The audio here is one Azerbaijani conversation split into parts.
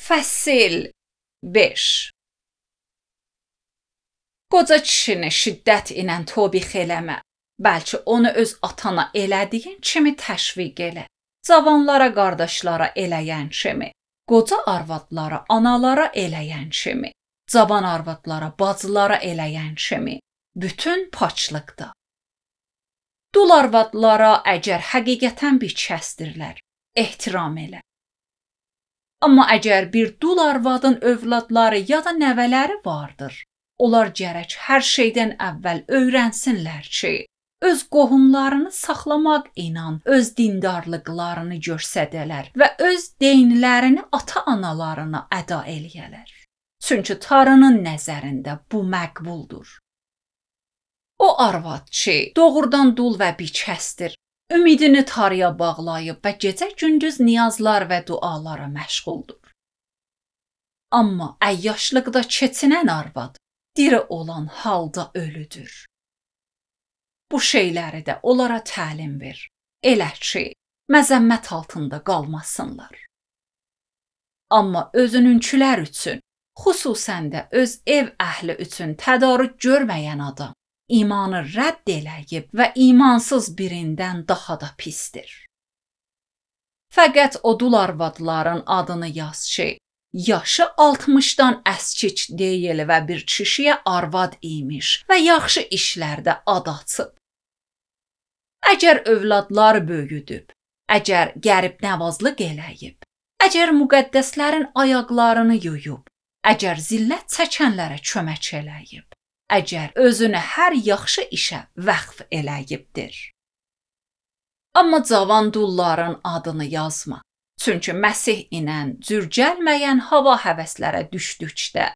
Fəsil 5 Qoca kişini şiddət ilə tobix eləmə, bəlkə onu öz atana elədiyin kimi təşviq elə. Cavanlara, qardaşlara eləyən kimi, qoca arvadlara, analara eləyən kimi, cavan arvadlara, bacılara eləyən kimi, bütün paçlıqda. Dul arvadlara əgər həqiqətən bir kəsdirlər, ehtiram elə. Amma əgər bir dul arvadın övladları ya da nəvələri vardır, onlar gərək hər şeydən əvvəl öyrənsinlər ki, öz qohumlarını saxlamaq ilə öz dindarlıqlarını göstərələr və öz deyinlərini ata-analarına əda eləyələr. Çünki Tanrının nəzərində bu məqbuldur. O arvad ki, doğrudan dul və bikəsdir, ümidini Tanrıya bağlayıb və gecə-gündüz niyazlar və dualara məşğuldur. Amma əyyaşlıqda keçinən arvad diri olan halda ölüdür. Bu şeyləri də onlara təlim ver, elə ki, məzəmmət altında qalmasınlar. Amma özününkülər üçün, xüsusən də öz ev əhli üçün tədarük görməyən adam, imanı rədd eləyib və imansız birindən daha da pisdir. Fəqət o dul arvadların adını yaz ki, yaşı 60-dan əskik deyil və bir kişiyə arvad imiş və yaxşı işlərdə ad açıb. Əgər övladlar böyüdüb, əgər qərib nəvazlıq eləyib, əgər müqəddəslərin ayaqlarını yuyub, əgər zillət çəkənlərə kömək eləyib, əgər özünü hər yaxşı işə vəqf eləyibdir. Amma cavan dulların adını yazma. Çünki Məsih ilə cür gəlməyən hava həvəslərə düşdükdə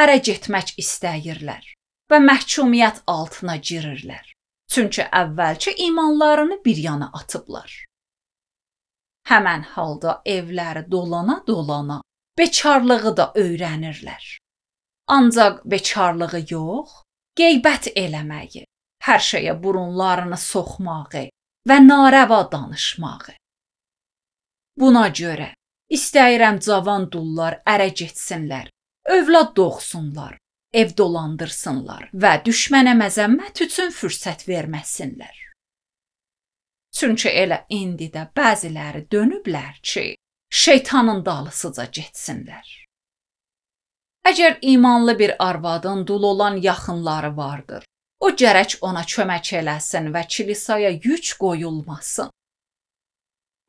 ərə getmək istəyirlər və məhkumiyyət altına girirlər. Çünki əvvəlki imanlarını bir yana atıblar. Həmən halda evləri dolana-dolana bekarlığı da öyrənirlər. Ancaq bekarlığı yox, qeybət eləməyi, hər şeyə burunlarını soxmağı və narəva danışmağı. Buna görə istəyirəm cavan dullar ərə getsinlər, övlad doğsunlar, ev dolandırsınlar və düşmənə məzəmmət üçün fürsət verməsinlər. Çünki elə indi də bəziləri dönüblər ki, şeytanın dalısıca getsinlər. Əgər imanlı bir arvadın dul olan yaxınları vardır, o gərək ona kömək eləsin və kilisaya yük qoyulmasın.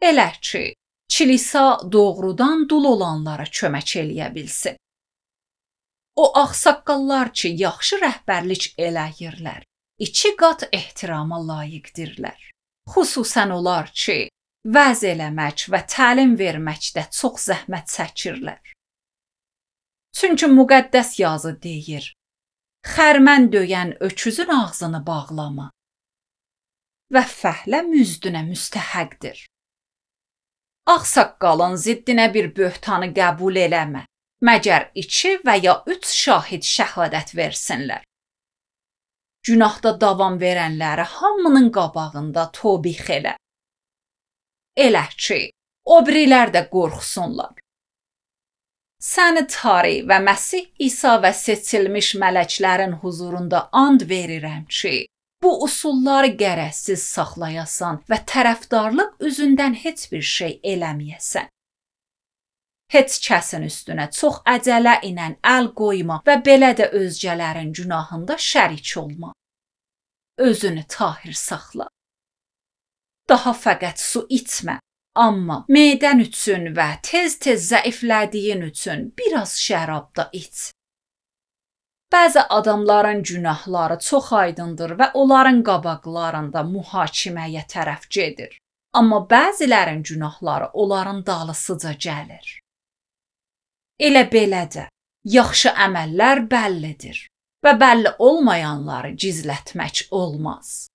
Elə ki, kilisa doğrudan dul olanlara kömək eləyə bilsin. O ağsaqqallar ki, yaxşı rəhbərlik eləyirlər, 2 qat ehtirama layiqdirlər. Xüsusən onlar ki, vəz eləmək və təlim verməkdə çox zəhmət çəkirlər. Çünki müqəddəs yazı deyir, xərmən döyən öküzün ağzını bağlama və fəhlə müzdünə müstəhəqdir. Ağsaqqalın ziddinə bir böhtanı qəbul eləmə, məgər 2 və ya 3 şahid şəhadət versinlər. Günahda davam verənləri hamının qabağında tobix elə. Elə ki, o birilər də qorxsunlar. Səni Tanrı və Məsih İsa və seçilmiş mələklərin huzurunda and verirəm ki, bu usulları gərəksiz saxlayasan və tərəfdarlıq üzündən heç bir şey eləməyəsən. Heç kəsin üstünə çox əcələ ilə əl qoyma və belə də özgələrin günahında şərik olma. Özünü tahir saxla. Daha fəqət su içmə, amma medən üçün və tez-tez zəiflədiyin üçün biraz şərab da iç. Bəzi adamların günahları çox aydındır və onların qabaqlarında mühakiməyə tərəf gedir. Amma bəzilərin günahları onların dalısıca gəlir. Elə belə də yaxşı əməllər bəllidir və bəlli olmayanları gizlətmək olmaz.